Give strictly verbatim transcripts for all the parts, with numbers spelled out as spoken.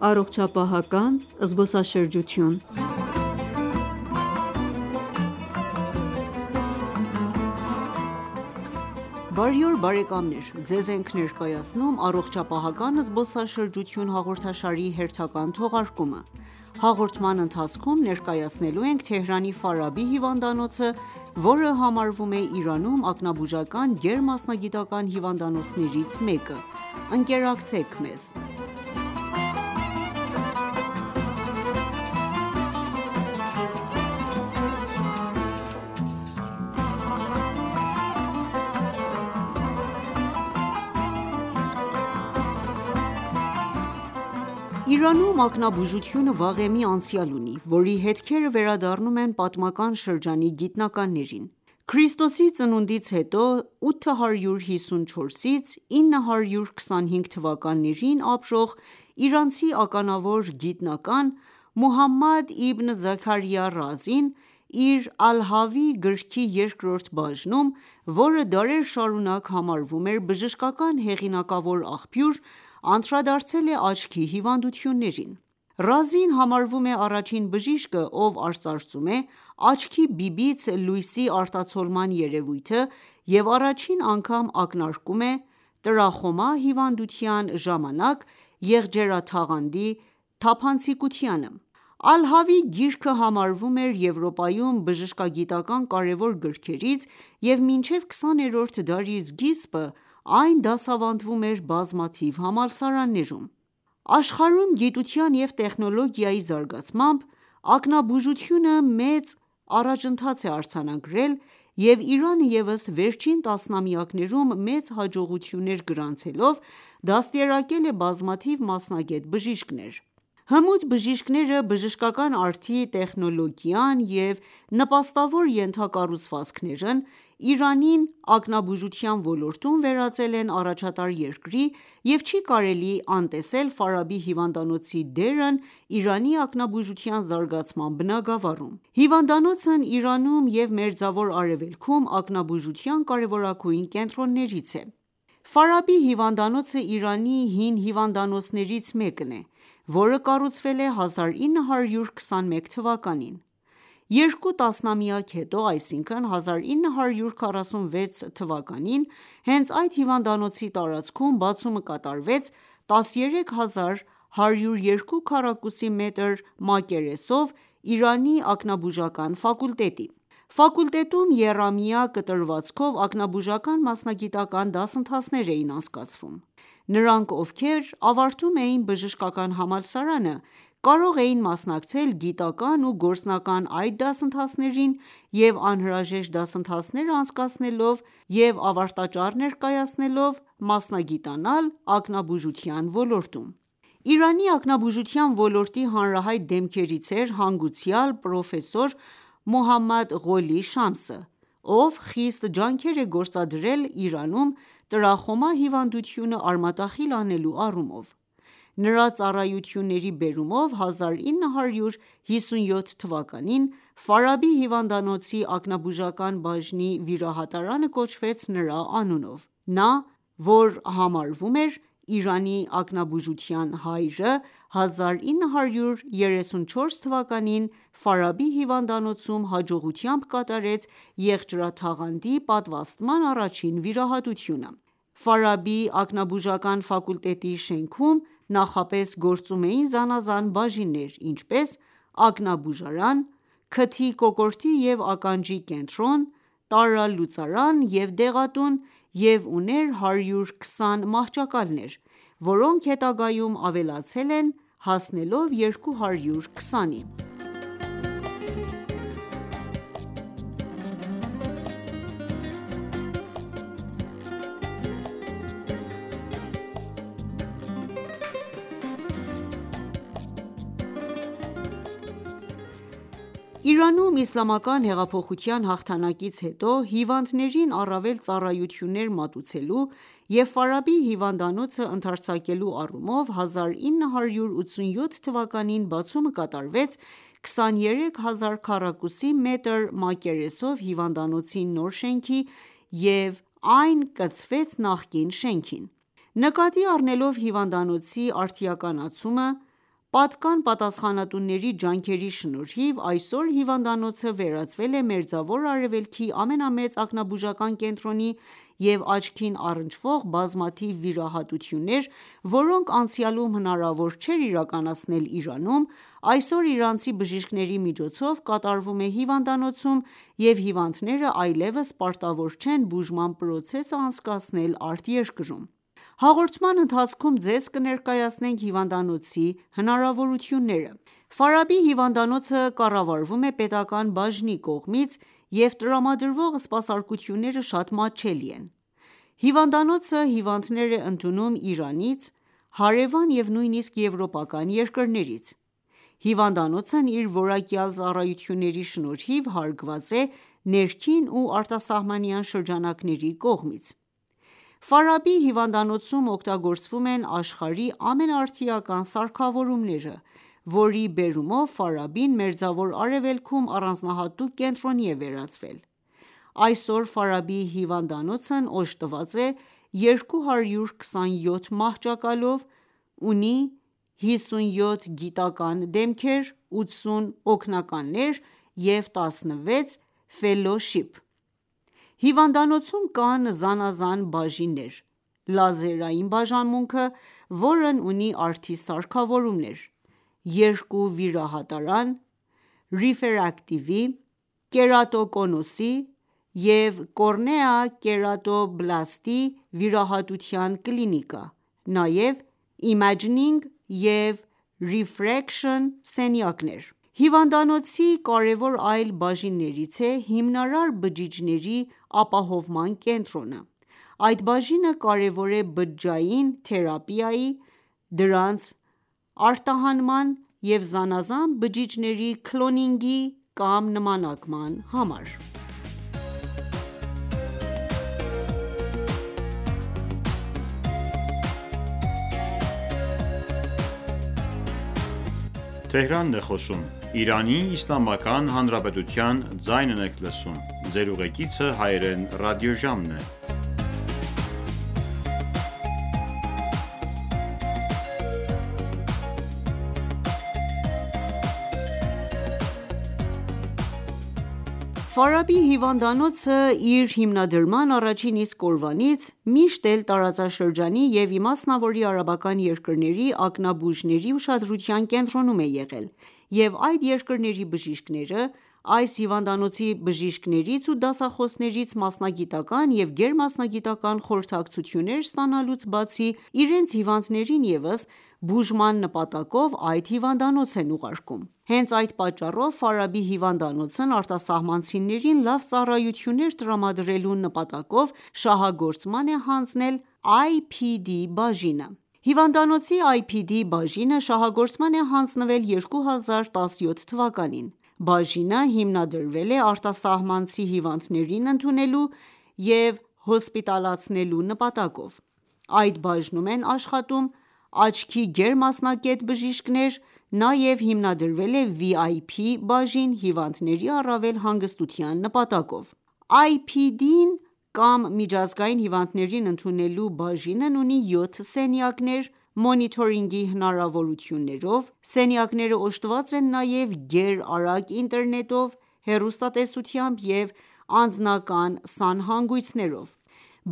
Առողջապահական զբոսաշրջություն։ Բարի օր բարեկամներ, Ձեզ ենք ներկայացնում «Առողջապահական զբոսաշրջություն» հաղորդաշարի հերթական թողարկումը։ Հաղորդման ընթացքում ներկայացնելու ենք Թեհրանի Ֆարաբի հիվանդանոցը, որը համարվում է Իրանում ակնաբուժական գերմասնագիտական հիվանդանոցներից մեկը։ Ընկերակցեք մեզ։ Իրանում ակնաբուժությունը վաղեմի անցյալ ունի, որի հետքերը վերադառնում են պատմական շրջանի գիտնականներին։ Քրիստոսի ծնունդից հետո ութ հարյուր հիսունչորսից ինը հարյուր քսանհինգ թվականներին ապրող իրանցի ականավոր գիտնական Մուհամմադ իբն Զաքարիա Ռազին իր «Ալ-Հավի» գրքի երկրորդ բաժնում, որը դարեր շարունակ համարվում էր բժշկական հեղինակավոր աղբյուր, անդրադարձել է աչքի հիվանդություններին։ Ռազին համարվում է առաջին բժիշկը, ով արծարծում է աչքի բիբից լույսի արտացոլման երևույթը և առաջին անգամ ակնարկում է տրախոմա հիվանդության ժամանակ եղջերաթաղանթի թափանցիկությանը։ «Ալ-Հավի» գիրքը համարվում էր Եվրոպայում բժշկագիտական կարևոր գրքերից և մինչև քսաներորդ դարի սկիզբը այն դասավանդվում էր բազմաթիվ համալսարաններում։ Աշխարհում գիտության և տեխնոլոգիայի զարգացմամբ, ակնաբուժությունը մեծ առաջընթաց է արձանագրել, և Իրանը ևս վերջին տասնամյակներում մեծ հաջողություններ գրանցելով, դաստիարակել է բազմաթիվ մասնագետ բժիշկներ։ Հմուտ բժիշկները բժշկական արդի տեխնոլոգիան և նպաստավոր ենթակառուցվածքներն Իրանին ակնաբուժության ոլորտում վերածել են առաջատար երկրի և չի կարելի անտեսել Ֆարաբի հիվանդանոցի դերն Իրանի ակնաբուժության զարգացման բնագավառում։ Հիվանդանոցն Իրանում և Մերձավոր Արևելքում ակնաբուժության կարևորագույն կենտրոններից է։ Ֆարաբի հիվանդանոցը Իրանի հին հիվանդանոցներից մեկն է, որը կառուցվել է հազար ինը հարյուր քսանմեկ թվականին։ Երկու տասնամյակ հետո, այսինքն հազար ինը հարյուր քառասունվեց թվականին, հենց այդ հիվանդանոցի տարածքում բացումը կատարվեց տասներեք հազար հարյուր երկու քառակուսի մետր մակերեսով Իրանի ակնաբուժական ֆակուլտետի։ Ֆակուլտետում եռամյա կտրվածքով ակնաբուժական մասնագիտական դասընթացներ էին անցկացվում։ Նրանք, ովքեր ավարտում էին բժշկական համալսարանը, կարող էին մասնակցել գիտական ու գործնական այլ դասընթացներին և անհրաժեշտ դասընթացներ անցկացնելով և ավարտաճառ ներկայացնելով, մասնագիտանալ ակնաբուժության ոլորտում։ Իրանի ակնաբուժության ոլորտի հանրահայտ դեմքերից էր հանգուցյալ պրոֆեսոր Մոհամմադ Ղոլի Շամսը, ով խիստ ջանքեր է գործադրել Իրանում տրախոմա հիվանդությունը արմատախիլ անելու առումով։ Նրա ծառայությունների բերումով հազար ինը հարյուր հիսունյոթ թվականին Ֆարաբի հիվանդանոցի ակնաբուժական բաժնի վիրահատարանը կոչվեց նրա անունով։ Նա, որ համարվում էր Իրանի ակնաբուժության հայրը, հազար ինը հարյուր երեսունչորս թվականին Ֆարաբի հիվանդանոցում հաջողությամբ կատարեց եղջերաթաղանթի պատվաստման առաջին վիրահատությունը։ Ֆարաբի ակնաբուժական ֆակուլտետի շենքում նախապես գործում էին զանազան բաժիններ, ինչպես՝ ակնաբուժարան, քթի, կոկորդի և ականջի կենտրոն, տարրալուծարան և դեղատուն և ուներ հարյուր քսան մահճակալներ, որոնք հետագայում ավելացել են, հասնելով երկու հարյուր քսանի։ Իրանում իսլամական հեղափոխության հաղթանակից հետո հիվանդներին առավել ծառայություններ մատուցելու և Ֆարաբի հիվանդանոցը ընդարձակելու առումով հազար ինը հարյուր ութսունյոթ թվականին բացումը կատարվեց քսաներեք հազար քառակուսի մետր մակերեսով հիվանդանոցի նոր շենքի և այն կցվեց նախկին շենքին։ Նկատի առնելով հիվանդանոցի արդիականացումը, Պատկան պատասխանատուների ջանքերի շնորհիվ այսօր հիվանդանոցը վերածվել է Մերձավոր Արևելքի ամենամեծ ակնաբուժական կենտրոնի և աչքին առնչվող բազմաթիվ վիրահատություններ, որոնք անցյալում հնարավոր չէր իրականացնել Իրանում, այսօր իրանցի բժիշկների միջոցով կատարվում է հիվանդանոցում և հիվանդները այլևս պարտավոր չեն բուժման պրոցեսը անցկացնել արտերկրում: Հաղորդման ընթացքում ձեզ կներկայացնենք հիվանդանոցի հնարավորությունները: Ֆարաբի հիվանդանոցը կառավարվում է պետական բաժնի կողմից և տրամադրվող սպասարկությունները շատ մատչելի են: Հիվանդանոցը հիվանդներ է ընդունում Իրանից, հարևան և նույնիսկ եվրոպական երկրներից: Հիվանդանոցն իր որակյալ ծառայությունների շնորհիվ հարգված է ներքին ու արտասահմանյան շրջանակների կողմից: Ֆարաբի հիվանդանոցում օգտագործվում են աշխարհի ամենաարդիական սարքավորումները, որի բերումով Ֆարաբին Մերձավոր Արևելքում առանձնահատուկ կենտրոնի է վերածվել: Այսօր Ֆարաբի հիվանդանոցն օժտված է երկու հարյուր քսանյոթ մահճակալով, ունի հիսունյոթ գիտական դեմքեր, ութսուն օգնականներ և տասնվեց ֆելլոուշիփ: Հիվանդանոցում կան զանազան բաժիններ՝ լազերային բաժանմունքը, որն ունի արդի սարքավորումներ, երկու վիրահատարան, ռիֆրակտիվի, կերատոկոնուսի և կոռնեա-կերատոբլաստի վիրահատության կլինիկա, նաև իմաջինգ և ռիֆրեկշն սենյակներ: Հիվանդանոցի կարևոր այլ բաժիններից է հիմնարար բջիջների ապահովման կենտրոնը: Այդ բաժինը կարևոր է բջջային թերապիայի, դրանց արտահանման և զանազան բջիջների քլոնինգի կամ նմանակման համար: Ֆարաբի հիվանդանոցը իր հիմնադրման առաջին իսկ օրվանից միշտ էլ տարածաշրջանի և իմասնավորի արաբական երկրների ակնաբուժների ուշադրության կենտրոնում է եղել և այդ երկրների բժիշկները այս հիվանդանոցի բժիշկներից ու դասախոսներից մասնագիտական և գերմասնագիտական խորհրդակցություններ ստանալուց բացի, իրենց հիվանդներին ևս բուժման նպատակով այդ հիվանդանոց են ուղարկում: Հենց այդ պատճառով Ֆարաբի հիվանդանոցն արտասահմանցիներին լավ ծառայություններ տրամադրելու նպատակով շահագործման է հանձնել Այ Փի Դի բաժինը: Հիվանդանոցի Այ Փի Դի բաժինը շահագործման է հանձնվել երկու հազար տասնյոթ թվականին: Բաժինը հիմնադրվել է արտասահմանցի հիվանդներին ընդունելու և հոսպիտալացնելու նպատակով: Այդ բաժնում են աշխատում աչքի գերմասնակետ բժիշկներ, նաև հիմնադրվել է Վի Այ Փի բաժին հիվանդների առավել հանգստության նպատակով: Այ Փի Դին կամ միջազգային հիվանդներին ընդունելու բաժինն ունի յոթ սենյակներ մոնիտորինգի հնարավորություններով: Սենյակները օժտված են նաև գերարագ ինտերնետով, հեռուստատեսությամբ և անձնական սանհանգույցներով: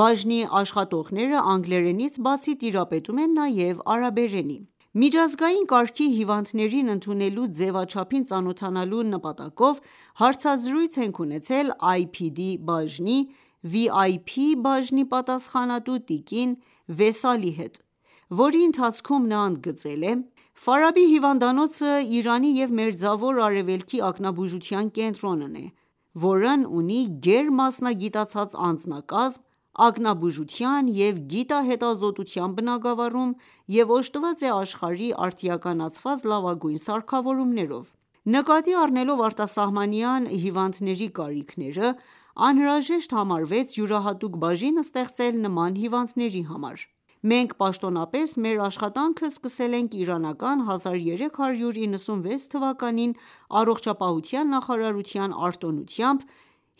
Բաժնի աշխատողները անգլերենից բացի տիրապետում են նաև արաբերենի: Միջազգային կարգի հիվանդներին ընդունելու ձևաչափին ծանոթանալու նպատակով հարցազրույց ենք ունեցել Այ Փի Դի բաժնի Վի Այ Փի բաժնի պատասխանատու տիկին Վեսալի հետ, որի ընթացքում նա ընդգծել է. «Ֆարաբի հիվանդանոցը Իրանի և Մերձավոր Արևելքի ակնաբուժության կենտրոնն է, որն ունի գերմասնագիտացած անձնակազմ, ակնաբուժության և գիտահետազոտության բնագավառում և օժտված է աշխարհի արդիականացված լավագույն սարքավորումներով: Նկատի առնելով արտասահմանյան հիվանդների կարիքները, անհրաժեշտ համարվեց յուրահատուկ բաժին ստեղծել նման հիվանդների համար: Մենք պաշտոնապես մեր աշխատանքը սկսել ենք իրանական հազար երեք հարյուր իննսունվեց թվականին առողջապահության նախարարության արտոնությամբ,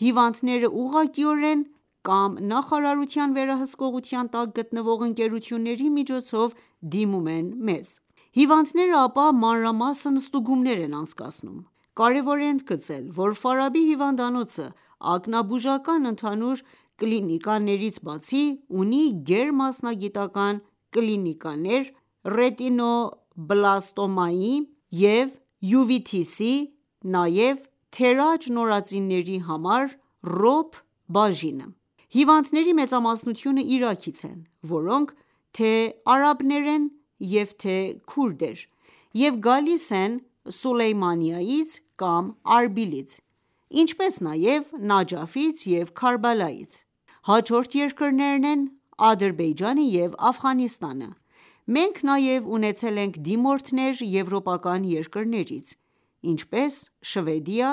հիվանդները ուղղակիորեն կամ նախարարության վերահսկողության տակ գտնվող ընկերությունների միջոցով դիմում են մեզ: Հիվանդները ապա մանրամասն ստուգումներ են անցկացնում: Կարևոր է ընդգծել, որ Ֆարաբի հիվանդանոցը ակնաբուժական ընդհանուր կլինիկաներից բացի, ունի գերմասնագիտական կլինիկաներ ռետինոբլաստոմայի և յուվիթիսի, նաև թերաջ նորածինների համար ռոբ բաժինը: Հիվանդների մեծամասնությունը Իրաքից են, որոնք թե՛ արաբներ են և թե՛ քուրդեր և գալիս են Սուլեյմանիայից կամ Արբիլից, ինչպես նաև Նաջաֆից և Քարբալայից: Հաջորդ երկրներն են Ադրբեջանը և Աֆղանստանը: Մենք նաև ունեցել ենք դիմորդներ եվրոպական երկրներից, ինչպես Շվեդիա,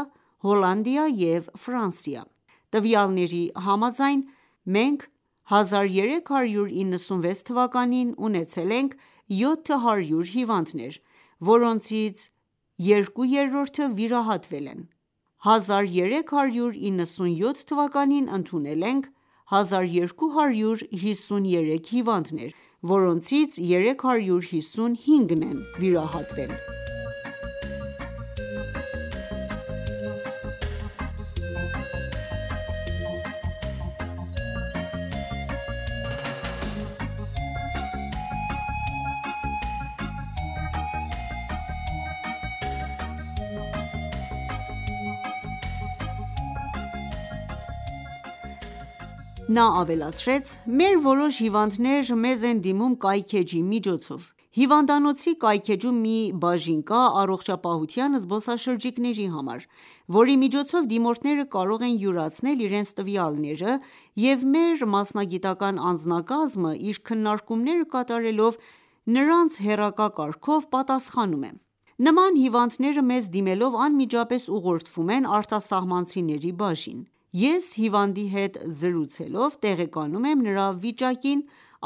Հոլանդիա և Ֆրանսիա: Տվյալների համաձայն, մենք հազար երեք հարյուր իննսունվեց թվականին ունեցել ենք յոթ հարյուր հիվանդներ, որոնցից երկու երրորդը վիրահատվել են: հազար երեք հարյուր իննսունյոթ թվականին ընդունել ենք հազար երկու հարյուր հիսուն երեք հիվանդներ, որոնցից երեք հարյուր հիսուն հինգն են վիրահատվել: Նա ավելացրեց. «Մեր որոշ հիվանդներ մեզ են դիմում կայքէջի միջոցով: Հիվանդանոցի կայքէջում մի բաժին կա առողջապահության զբոսաշրջիկների համար, որի միջոցով դիմորդները կարող են յուրացնել իրենց տվյալները և մեր մասնագիտական անձնակազմը իր քննարկումները կատարելով նրանց հեռակա կարգով պատասխանում է: Նման հիվանդները մեզ դիմելով անմիջապես ուղղորդվում են արտասահմանցիների բաժին: Ես հիվանդի հետ զրուցելով տեղեկանում եմ նրա վիճակին,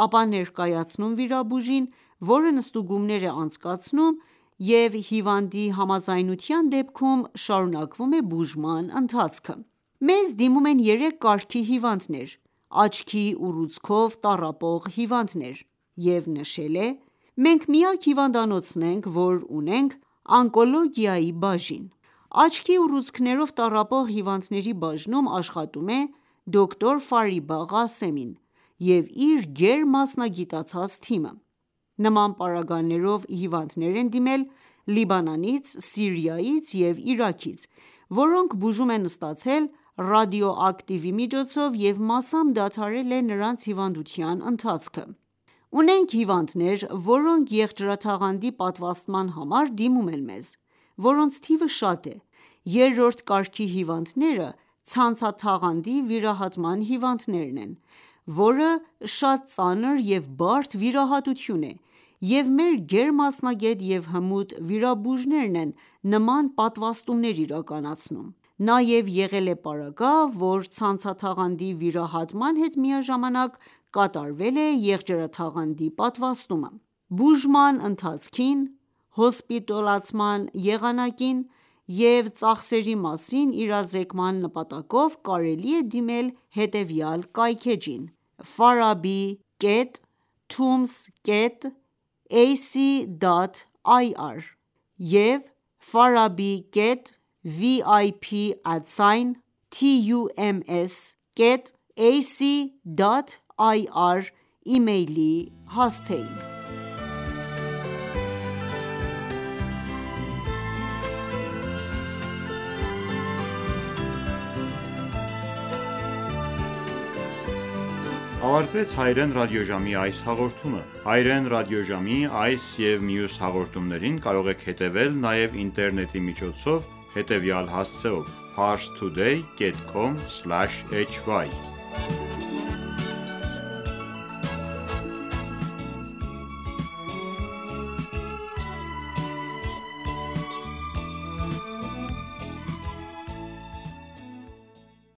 ապա ներկայացնում վիրաբույժին, որն ստուգումներ է անցկացնում և հիվանդի համաձայնության դեպքում շարունակվում է բուժման ընթացքը: Մեզ դիմում են երեք կարգի հիվանդներ, աչքի ուռուցքով տառապող հիվանդներ և նշել է. «Մենք միակ հիվանդանոցն ենք, որ ունենք օնկոլոգիայի բաժին»: Աչքի ուռուցքներով տառապող հիվանդների բաժնում աշխատում է դոկտոր Ֆարիբա Ղասեմին և իր գերմասնագիտացած թիմը: Նման պարագաներով հիվանդներ են դիմել Լիբանանից, Սիրիայից և Իրաքից, որոնք բուժում են ստացել ռադիոակտիվի միջոցով և մասամբ դադարել է նրանց հիվանդության ընթացքը: Ունենք հիվանդներ, որոնք եղջերաթաղանթի պատվաստման համար դիմում են մեզ, որոնց թիվը շատ է: Երրորդ կարգի հիվանդները ցանցաթաղանթի վիրահատման հիվանդներն են, որը շատ ծանր և բարդ վիրահատություն է և մեր գերմասնագետ և հմուտ վիրաբույժներն են նման պատվաստումներ իրականացնում: Նաև եղել է պարագա, որ ցանցաթաղանթի վիրահատման հետ միաժամանակ կատարվել է եղջերաթաղանթի պատվաստումը: Բուժման ընթացքին, հոսպիտալացման եղանակին և ծախսերի մասին իրազեկման նպատակով կարելի է դիմել հետևյալ կայքէջին՝ farabi կետ tooms կետ ac դոտ ir և farabi կետ vip ատսայն tums կետ ac դոտ ir իմեյլի հասցեին: Ավարտվեց հայրեն ռադիոժամի այս հաղորդումը: Հայրեն ռադիոժամի այս և մյուս հաղորդումներին կարող եք հետևել նաև ինտերնետի միջոցով հետևյալ հասցեով՝ parstoday կետ com սլաշ hy